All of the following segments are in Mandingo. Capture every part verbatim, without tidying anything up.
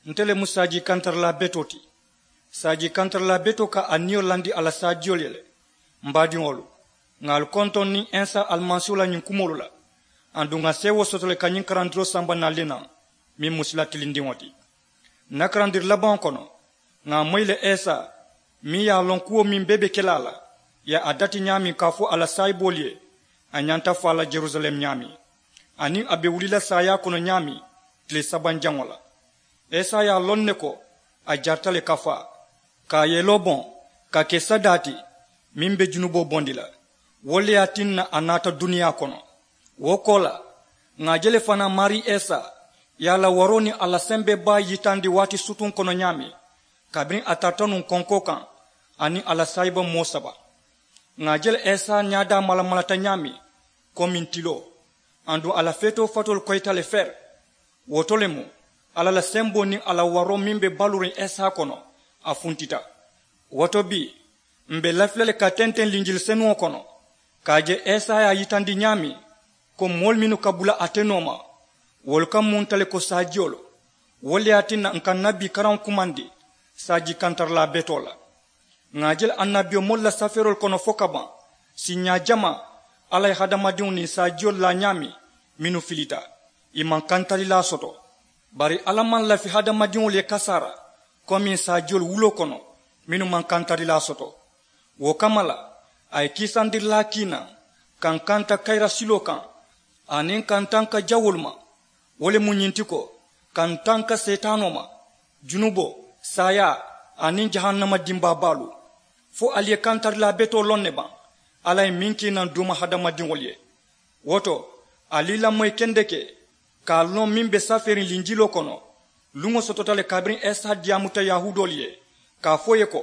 Nte le mu saaji kantarilaa betoo ti. Saaji kantarilaa betoo ka a niyo landi a la saajiyolu ye le. M baadiŋolu, ŋà ali kontoŋ niŋ ensa alimasiiwo la ñiŋ kumoolu la. Aduŋ ŋà seewoo soto le ka ñiŋ karandiroo samba naali le naŋ, meŋ mu sila tilindiŋo ti. N na karandiri labaŋo kono, ŋà a moyi le esa, meŋ ye a loŋ kuwo meŋ bee be ke la a la, ye a dati ñaameŋ ka a fo a la saayiboolu ye, a ñanta faa la jerusalem ñaameŋ, aniŋ a be wuli la saayaa kono ñaameŋ, tile sabanjaŋo la. Esa ye a loŋ ne ko a jarita le ka faa, ka a yeloo boŋ, ka ke sadaa ti, meŋ be junuboo bondi la. Wo le ye a tinna a naata duniyaa kono. Wo koolaa, ŋà a je le fanaa maarii esa ye a la waroo niŋ a la sembee baa yitandi waati sutuŋ kono ñaameŋ, kabiriŋ a tarata nuŋ konkoo kaŋ, aniŋ a la saayiba moo saba. Ŋà a je le esa ñaadaa malamalata ñaameŋ, komiŋ tiloo, aduŋ a la feetoo fatoolu koyita le feri. Wo to le mu alla la semboo niŋ a la waroo meŋ be baluuriŋ esa kono, a funtita. Wo to bii, m̀ be lafi la le ka tenteŋ linjili senuŋo kono, ka a je esa ye a yitandi ñaameŋ, ko moolu mennu ka bula ate nooma, wolu ka munta le ko saajiyolu. Wo le ye a tinna n ka n na bii karaŋo kumandi saaji kantarilaa betoo la. Ŋà a je le annabiyomoolu la safeeroolu kono fo ka baŋ, siiñaa jamaa alla ye hadamadiŋo niŋ saajiyolu laa ñaameŋ, mennu filita, ì maŋ kantarilaa soto. Bari alla maŋ lafi hadamadiŋolu ye kasaara, komiŋ saajiyolu wuloo kono, mennu maŋ kantarilaa soto. Wo kamma la, a ye kiisandirilaa kii naŋ, ka n kanta kayira siloo kaŋ, aniŋ ka n tanka jawoolu ma. Wo le mu ñiŋ ti ko, ka n tanka seetaanoo ma, junuboo, saayaa, aniŋ jahannama dimbaa baalu. Fo ali ye kantarilaa betoo loŋ ne baŋ? Alla ye meŋ kii naŋ duuma hadamadiŋolu ye. Wo to, ali i lamoyi kendeke, ka a loŋ meŋ be safeeriŋ linjiloo kono. Luŋo sotota le kabiriŋ esa diyaamuta yahuudoolu ye, ka a fo ì ye ko,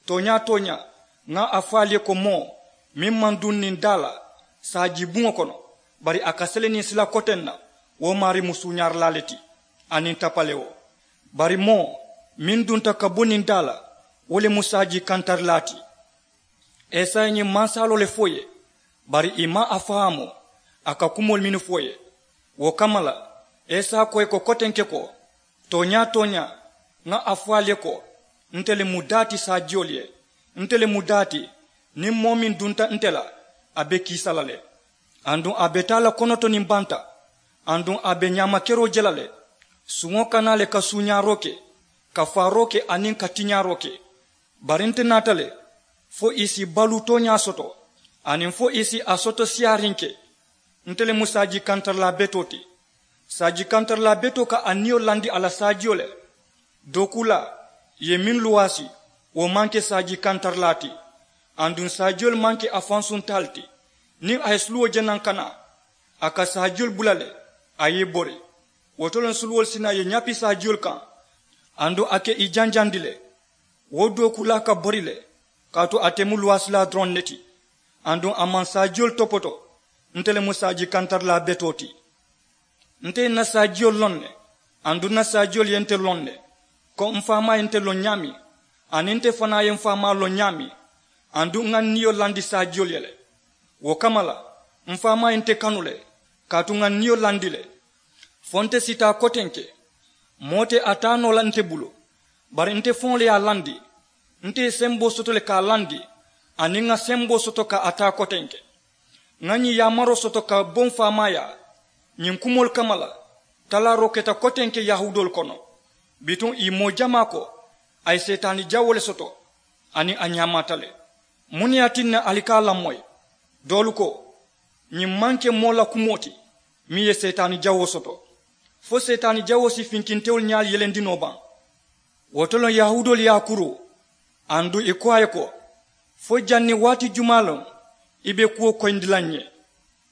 tooñaa tooñaa, ŋa a fo ali ye ko moo meŋ maŋ duŋ niŋ daa la saaji buŋo kono, bari a ka sele niŋ sila koteŋ na, wo maarii mu suuñaarilaa le ti, aniŋ tapalewo. Bari moo meŋ dunta ka bo niŋ daa la, wo le mu saaji kantarilaa ti. Esa ye ñiŋ mansaaloo le fo ì ye, bari ì maŋ a fahaamu a ka kumoolu mennu fo ì ye. Wo kamma la, esa ko ì ye ko kotenke ko, tooñaa tooñaa, ŋa a fo ali ye ko, nte le mu daa ti saajiyolu ye. Nte le mu daa ti, niŋ moo meŋ dunta nte la, a be kiisa la le. Aduŋ a be taa la konoto niŋ banta, aduŋ a be ñaamakeroo je la le. Suŋo ka naa le ka suuñaaroo ke, ka faaroo ke aniŋ ka tiñaaroo ke. Bari nte naata le fo ì si baluu tooñaa soto, aniŋ fo ì si a soto siyaariŋ ke. Nte le mu saaji kantarilaa betoo ti. Saaji kantarilaa betoo ka a niyo landi a la saajiyo le. Dookuulaa, ì ye meŋ luwaasi, wo maŋ ke saaji kantarilaa ti. Aduŋ saajiyolu maŋ ke a fansuntaalu ti. Niŋ a ye suluwo je naŋ ka naa, a ka saajiyolu bula le, a ye i bori. Wo to loŋ suluwolu si naa ì ye ñapi saajiyolu kaŋ, aduŋ a ka ì janjandi le. Wo dookuulaa ka bori le, kaatu ate mu luwaasilaa doroŋ ne ti. Aduŋ a maŋ saajiyolu topoto. Nte le mu saaji kantarilaa betoo ti. Nte ye n na saajiyolu loŋ ne, aduŋ n na saajiyolu ye nte loŋ ne, ko m faamaa ye nte loŋ ñaameŋ, aniŋ nte fanaa ye m faamaa loŋ ñaameŋ. Aduŋ ŋa n niyo landi saajiyolu ye le. Wo kamma la, m faamaa ye nte kanu le, kaatu ŋa n niyo landi le. Fo nte si taa kotenke, moo te a taa noo la nte bulu, bari nte faŋo le ye a landi. Nte ye semboo soto le ka a landi, aniŋ ŋa semboo soto ka a taa kotenke. Ŋa ñiŋ yaamaroo soto ka bo m faamaayaa. Ñiŋ kumoolu kamma la, talaaroo keta kotenke yahuudoolu kono. Bituŋ ì moo jamaa ko, a ye seetaani jawoo le soto, aniŋ a ñaamaata le. Muŋ ne ye a tinna ali ka a lamoyi? Doolu ko, ñiŋ maŋ ke moo la kumoo ti, meŋ ye seetaani jawoo soto. Fo seetaani jawoo si finkintewolu ñaalu yelendi noo baŋ? Wo to loŋ yahuudoolu ye a kuru, aduŋ ì ko a ye ko, fo janniŋ waati jumaa loŋ i be kuwo koyindi la n ye?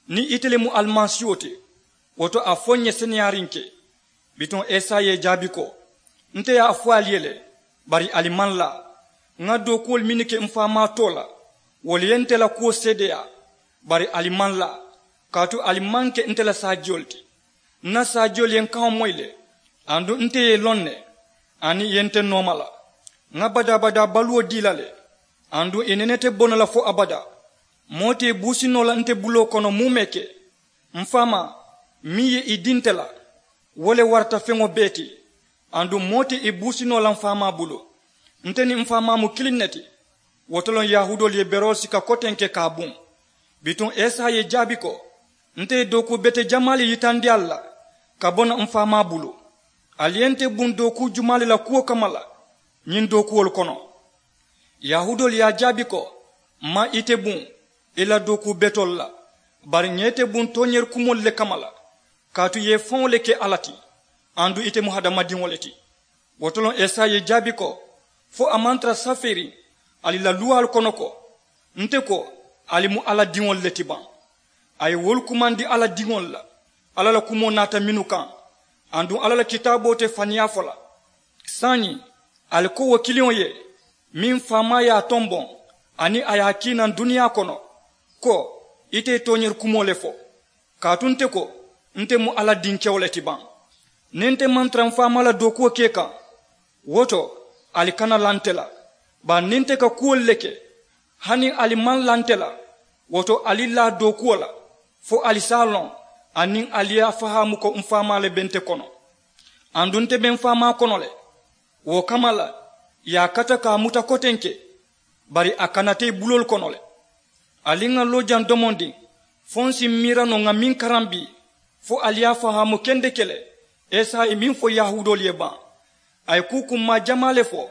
Niŋ ite le mu alimasiiwo ti, wo to a fo n ye seneyaariŋ ke. Bituŋ esa ye i jaabi ko, nte ye a fo ali ye le, bari ali maŋ laa. Ŋa dookuwolu mennu ke m faamaa too la, wolu ye nte la kuwo seedeyaa, bari ali maŋ laa, kaatu ali maŋ ke nte la saajiyolu ti. N na saajiyolu ye n kaŋo moyi le, aduŋ nte ye i loŋ ne, aniŋ i ye nte nooma la. Ŋa badaa-badaa baluwo dii la le, aduŋ i nene te bono la fo abadaa. Moo te i buusi noo la nte buloo kono muumee ke. M faamaa, meŋ ye i dii nte la, wo le warata feŋo bee ti. Aduŋ moo te i buusi noo la m faamaa bulu. Nte niŋ m faamaa mu kiliŋ ne ti. Wo to loŋ yahuudoolu ye beroolu sika kotenke ka a buŋ. Bituŋ esa ye i jaabi ko, nte ye dookuu bete jamaa le yitandi ali la ka bo naŋ m faamaa bulu. Ali ye nte buŋ dookuu jumaa le la kuwo kamma la ñiŋ dookuwolu kono? Yahuudoolu ye a jaabi ko, m maŋ ite buŋ i la dookuu betoolu la, bari ŋa ite buŋ tooñeeri kumoolu le kamma la. Kaatu i ye i faŋo le ke alla ti, aduŋ ite mu hadamadiŋo le ti. Wo to loŋ esa ye i jaabi ko, fo a maŋ tara safeeriŋ ali la luwaalu kono ko, nte ko ali mu alla diŋolu le ti baŋ? A ye wolu kumandi alla diŋolu la, alla la kumoo naata mennu kaŋ, aduŋ alla la kitaaboo te faniyaa fo la. Saayiŋ ali ko wo kiliŋo ye, meŋ faamaa ye a tomboŋ aniŋ a ye a kii naŋ duniyaa kono, ko, ite ye tooñeeri kumoo le fo. Kaatu nte ko, nte mu alla dinkewo le ti baŋ? Niŋ nte maŋ tara m faamaa la dookuwo ke i kaŋ, wo to ali kana laa nte la. Bari niŋ nte ka kuwolu le ke, hani ali maŋ laa nte la, wo to ali laa dookuwo la, fo ali si a loŋ aniŋ ali ye a fahaamu ko m faamaa le be nte kono, aduŋ nte be m faamaa kono le. Wo kamma la, ì ye a kata ka a muta kotenke, bari a kana te i buloolu kono le. Ali ŋà loo jaŋ domondiŋ, fo ǹ si miira noo ŋà meŋ karambi, fo ali ye a fahaamu kendeke le, esa ye meŋ fo yahuudoolu ye baŋ. A ye kuu kummaa jamaa le fo,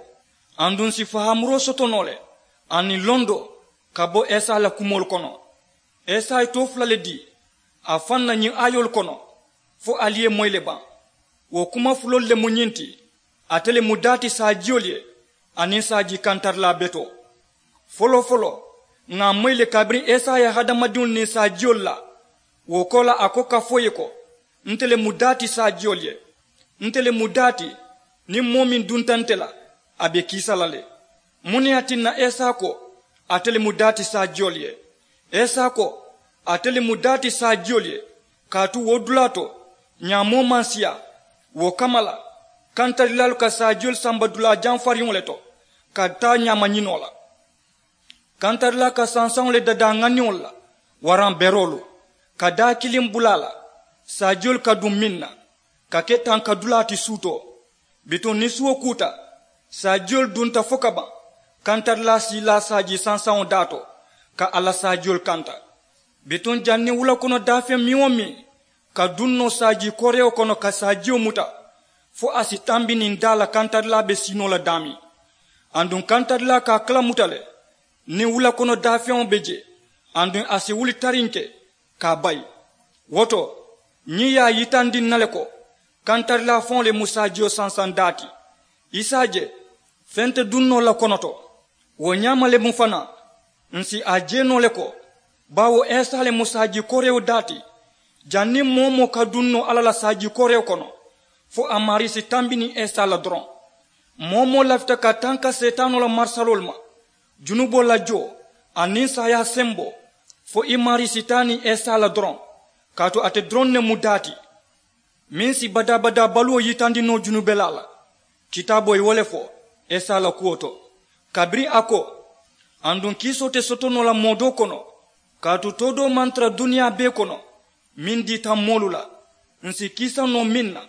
aduŋ ǹ si fahaamuroo soto noo le aniŋ londoo ka bo esa la kumoolu kono. Esa ye too fula le dii, a faŋ na ñiŋ aayoolu kono, fo ali ye moyi le baŋ. Wo kuma fuloolu le mu ñiŋ ti, ate le mu daa ti saajiyoolu ye aniŋ saajii kantarilaa betoo. Foloo-foloo, ŋà a moyi le kabiriŋ esa ye hadamadiŋolu niŋ saajiyoolu laa. Wo koolaa a ko ka fo ì ye ko, nte le mu daa ti saajiyoolu ye. Nte le mu daa ti, niŋ moo meŋ dunta nte la, a be kiisa la le. Muŋ ne ye a tinna esa ko, ate le mu daa ti saajiyoolu ye? Esa ko, ate le mu daa ti saajiyoolu ye, kaatu wo dulaa to, ñaamoo maŋ siyaa. Wo kamma la, kantarilaalu ka saajiyolu samba dulaa jamfariŋo le to, ka taa ñaama ñinoo la. Kantarilaa ka sansaŋo le dadaa ŋaniŋolu la, waraŋ beroolu, ka daa kiliŋ bula a la, saajiyolu ka duŋ meŋ na, ka ke tanka dulaa ti suutoo. Bituŋ niŋ suwo kuuta, saajiyolu dunta fo ka baŋ, kantarilaa si i laa saajii sansaŋo daa to, ka a la saajiyolu kanta. Bituŋ janniŋ wula kono daafeŋ meŋ-wo-meŋ ka duŋ noo saajii koorewo kono ka saajiyo muta, fo a si tambi niŋ daa la kantarilaa be sii noo la daameŋ. Aduŋ kantarilaa ka a kalamuta le, niŋ wula kono daafeŋo be jee, aduŋ a si wuli tariŋ ke ka a bayi. Wo to, ñiŋ ye a yitandi ǹ na le ko, kantarilaa faŋo le mu saajiyo sansaŋ daa ti. I si a je, feŋ te duŋ noo la kono to. Wo ñaama le mu fanaa, ǹ si a je noo le ko, baawo esa le mu saajii koorewo daa ti. Janniŋ moo-wo-moo ka duŋ noo alla la saajii koorewo kono, fo a maarii si tambi niŋ esa la doroŋ. Moo-wo-moo lafita ka tanka seetaanoo la marisaloolu ma, junuboo la joo, aniŋ saayaa semboo, fo i maarii si taa niŋ esa la doroŋ, kaatu ate doroŋ ne mu daa ti, meŋ si badaa-badaa baluwo yitandi noo junubelaa la. Kitaaboo ye wo le fo esa la kuwo to, kabiriŋ a ko, aduŋ kiisoo te soto noo la moo doo kono, kaatu too doo maŋ tara duniyaa bee kono, meŋ diita moolu la, ǹ si kiisa noo meŋ na.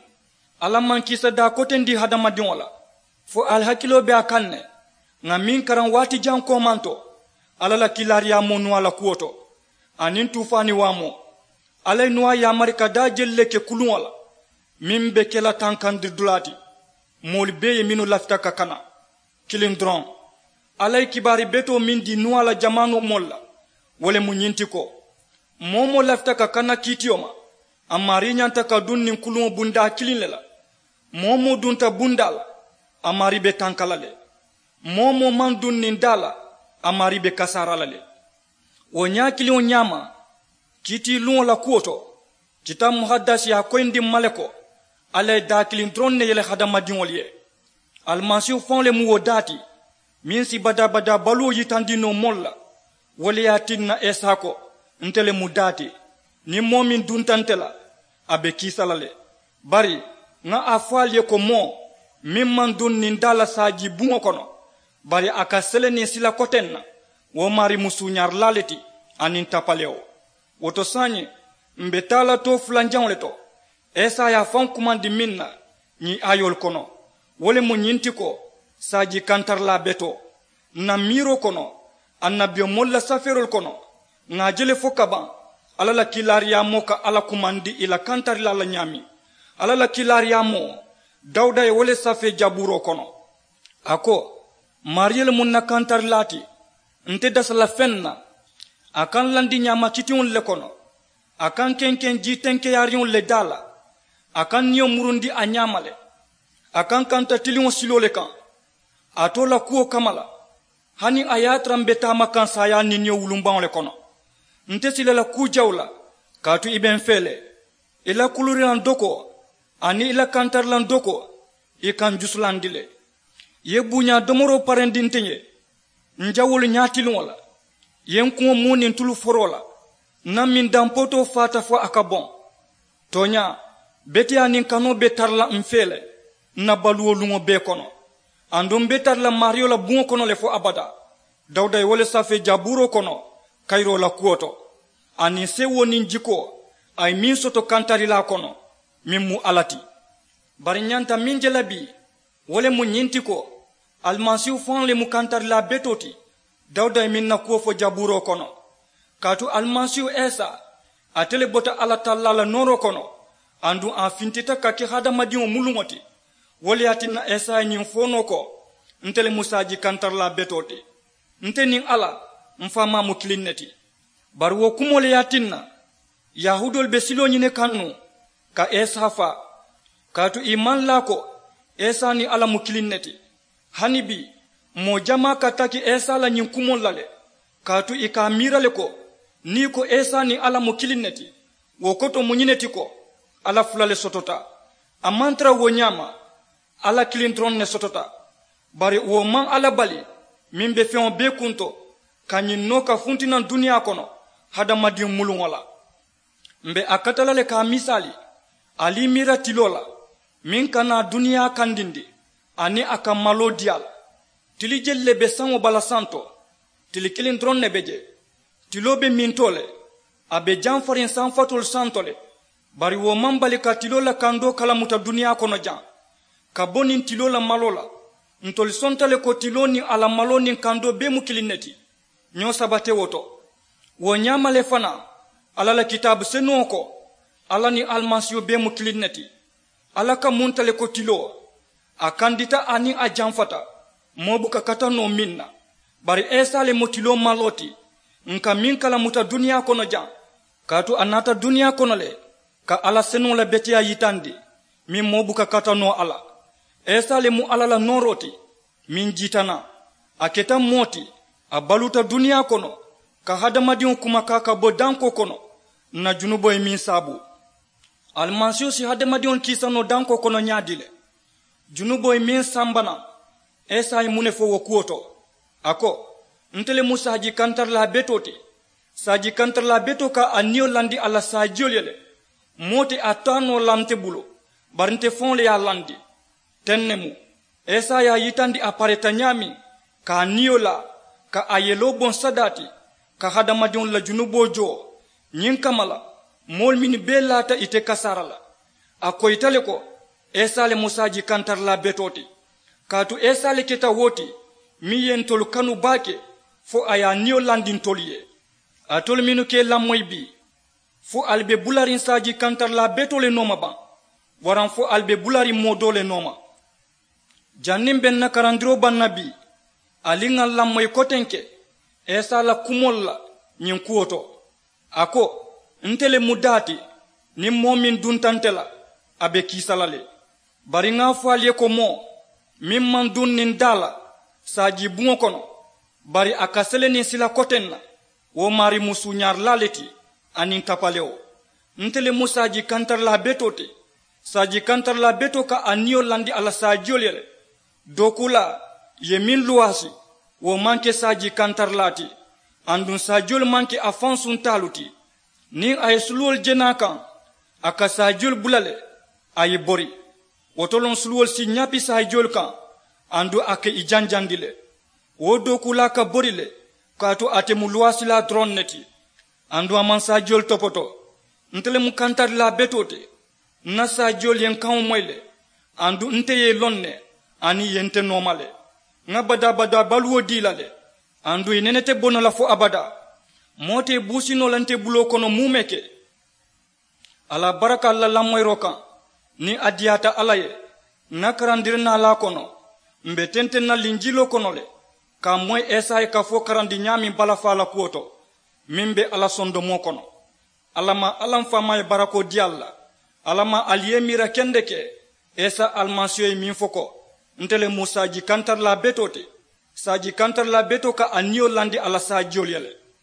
Alla maŋ kiisa daa kotendi hadamadiŋo la, fo ali hakiloo be a kaŋ ne. Ŋà meŋ karaŋ waati jaŋ koomaŋ to, alla la kiilaariyaamoo nuwaa la kuwo to, aniŋ tuufaani waamoo, alla ye nuwaa yaamari ka daa jelu le ke kuluŋo la, meŋ be ke la tankandiri dulaa ti, moolu bee ye mennu lafita ka kana. Kiliŋ doroŋ, alla ye kibaari betoo meŋ dii nuwaa la jamaanoo moolu la, wo le mu ñiŋ ti ko, moo-wo-moo lafita ka kana kiitiyo ma, a maarii ñanta ka duŋ niŋ kuluŋo bundaa kiliŋ le la. Moo-wo-moo dunta bundaa la, a maarii be tanka la le. Moo-wo-moo maŋ duŋ niŋ daa la, a maarii be kasaara la le. Wo ñaa kiliŋo ñaama, kiitiiluŋo la kuwo to, kitaabu muhadasi ye a koyindi ǹ ma le ko, alla ye daa kiliŋ doroŋ ne yele hadamadiŋolu ye. Alimasiihu faŋo le mu wo daa ti, meŋ si badaa-badaa baluwo yitandi noo moolu la. Wo le ye a tinna esa ko, nte le mu daa ti, niŋ moo meŋ dunta nte la, a be kiisa la le. Bari ŋa a fo ali ye ko, moo meŋ maŋ duŋ niŋ daa la saajii buŋo kono, bari a ka sele niŋ sila koteŋ na, wo maarii mu suuñaarilaa le ti, aniŋ tapalewo. Wo to saayiŋ, m̀ be taa la too fulanjaŋo le to, esa ye a faŋ kumandi meŋ na ñiŋ aayoolu kono. Wo le mu ñiŋ ti ko, saaji kantarilaa betoo, ǹ na miiroo kono, annabiyomoolu la safeeroolu kono, ŋà a je le fo kabaŋ alla la kiilaariyaamoo ka alla kumandi ì la kantarilaa la ñaameŋ. Alla la kiilaariyaamoo, dawuda ye wo le safee jabuuroo kono. A ko, maariyo le mu ǹ na kantarilaa ti. Nte dasa la feŋ na. A ka ǹ landi ñaama kitiŋolu le kono. A ka ǹ kenkeŋ jii tenkeyaariŋolu le daa la. A ka ǹ niyo murundi a ñaama le. A ka ǹ kanta tiliŋo siloo le kaŋ. A too la kuwo kamma la, hani a ye a tara m̀ be taama kaŋ saayaa niŋ niyo wulumbaŋo le kono. Nte sila la kuu jawu la, kaatu i be m̀ fee le. I la kulurilaŋ dokoo aniŋ i la kantarilaŋ dokoo, i ka m̀ jusulandi le. I ye buuñaa domoroo parendi nte ye. M̀ jawolu ñaatiliŋo la, i ye m̀ kuŋo muu niŋ tulu foroo la. Ǹ na mindaŋ pootoo faata fo a ka boŋ. Tooñaa, beteyaa niŋ kanoo be tara la m̀ fee le, m̀ na baluwo luŋo bee kono. Aduŋ m̀ be tara la maariyo la buŋo kono le fo abadaa. Dawuda ye wo le safee jabuuroo kono, kayiroo la kuwo to. Aniŋ sewoo niŋ jikoo, a ye meŋ soto kantarilaa kono, meŋ mu alla ti. Bari ǹ ñanta meŋ je la bii, wo le mu ñiŋ ti ko, alimasiihu faŋo le mu kantarilaa betoo ti. Dawuda ye meŋ na kuwo fo jabuuroo kono. Kaatu alimasiihu esa, ate le bota alla tallaa la nooroo kono. Aduŋ a fintita ka ke hadamadiŋo muluŋo ti. Wo le ye a tinna esa ye ñiŋ fo noo ko, nte le mu saaji kantarilaa betoo ti. Nte niŋ alla, m̀ faamaa mu kiliŋ ne ti. Bari wo kumoo le ye a tinna, yahuudoolu be siloo ñini kaŋ nuŋ, ka esa faa. Kaatu ì maŋ laa ko, esa niŋ alla mu kiliŋ ne ti. Hani bii, moo jamaa ka taki esa la ñiŋ kumoolu la le. Kaatu ì ka a miira le ko, niŋ ì ko esa niŋ alla mu kiliŋ ne ti, wo koto mu ñiŋ ne ti ko, alla fula le sotota. A maŋ tara wo ñaama. Alla kiliŋ doroŋ ne sotota. Bari wo maŋ alla bali, meŋ be feŋo bee kunto, ka ñiŋ noo ka funti naŋ duniyaa kono, hadamadiŋ muluŋo la. M̀ be a kata la le ka a misaali, ali i miira tiloo la, meŋ ka naa duniyaa kandindi, aniŋ a ka maloo dii a la. Tili jelu le be saŋo bala santo? Tili kiliŋ doroŋ ne be je. Tiloo be mintoo le, a be jamfariŋ sanfatoolu santo le. Bari wo maŋ bali ka tiloo la kandoo kalamuta duniyaa kono jaŋ. Ka bo niŋ tiloo la maloo la, ntolu sonta le ko tiloo niŋ a la maloo niŋ kandoo bee mu kiliŋ ne ti. Ñoo saba te wo to. Wo ñaama le fanaa, alla la kitaabu senuŋo ko, alla niŋ alimasiihu bee mu kiliŋ ne ti. Alla ka munta le ko tiloo, a kandita aniŋ a jamfata, moo buka kata noo meŋ na. Bari esa le mu tiloo maloo ti, ǹ ka meŋ kalamuta duniyaa kono jaŋ. Kaatu a naata duniyaa kono le, ka alla senuŋo la beteyaa yitandi, meŋ moo buka kata noo a la. Esa le mu alla la nooroo ti, meŋ jiita naŋ. A keta moo ti, a baluuta duniyaa kono, ka hadamadiŋo kumakaa ka bo dankoo kono, ǹ na junuboo ye meŋ saabu. Alimasiihu si hadamadiŋolu kiisa noo dankoo kono ñaadii le? Junuboo ye meŋ samba naŋ, esa ye muŋ ne fo wo kuwo to? A ko, nte le mu saaji kantarilaa betoo ti. Saaji kantarilaa betoo ka a niyo landi a la saajiyolu ye le. Moo te a taa noo la nte bulu, bari nte faŋo le ye a landi. Teŋ ne mu, esa ye a yitandi a pareta ñaameŋ, ka a niyo laa, ka a yeloo boŋ sadaa ti, ka hadamadiŋolu la junuboo joo. Ñiŋ kamma la, moolu mennu bee laata ite kasaara la, a koyita le ko, esa le mu saaji kantarilaa betoo ti. Kaatu esa le keta wo ti, meŋ ye ntolu kanu baake, fo a ye a niyo landi ntolu ye. Alitolu mennu ka i lamoyi bii, fo ali be bulariŋ saaji kantarilaa betoo le nooma baŋ? Waraŋ fo ali be bulariŋ moo doo le nooma? Janniŋ be ǹ na karandiroo baŋ na bii, ali ŋà ǹ lamoyi kotenke esa la kumoolu la ñiŋ kuwo to. A ko, nte le mu daa ti, niŋ moo meŋ dunta nte la, a be kiisa la le. Bari ŋà a fo ali ye ko moo meŋ maŋ duŋ niŋ daa la, saaji buŋo kono, bari a ka sele niŋ sila koteŋ na, wo maarii mu suuñaarilaa le ti, aniŋ tapalewo. Nte le mu saaji kantarilaa betoo ti. Saaji kantarilaa betoo ka a niyo landi a la saajiyolu ye le. Dookuulaa ye meŋ luwaasi, wo maŋ ke saaji kantarilaa ti. Aduŋ saajiyolu maŋ ke a faŋ suntaalu ti. Niŋ a ye suluwolu je naa kaŋ, a ka saajiyolu bula le, a ye bori. Wo to loŋ suluwolu si ñapi saajiyolu kaŋ, aduŋ a ka i janjandi le. Wo dookuulaa ka bori le, kaatu ate mu luwaasilaa doroŋ ne ti. Aduŋ a maŋ saajiyolu topoto. Nte le mu kantarilaa betoo ti. Ǹ na saajiyolu ye ǹ kaŋo moyi le. Aduŋ nte ye i loŋ ne, Aniŋ i ye nte nooma le, ŋa badaa-badaa baluwo dii la le. Aduŋ i nene te bo noo la fo abadaa. Moo te i buusi noo la nte buloo kono muumee ke. A la barakaalu la lamoyiroo kaŋ, niŋ a diyaata alla ye, ŋa karandiri naalaa kono, m̀ be tenteŋ na linjiloo kono le, ka a moyi esaya kafoo karandi ñaameŋ balafaa la kuwo to, meŋ be a la sondomoo kono. Alla maŋ alla m faamaa ye barakoo dii ali la. Alla maŋ ali ye i miira kendeke, isa alimasiiho ye meŋ fo ko, nte le mu saaji kantarilaa betoo ti. Saaji kantarilaa betoo ka a niyo landi a la saajiyolu ye le.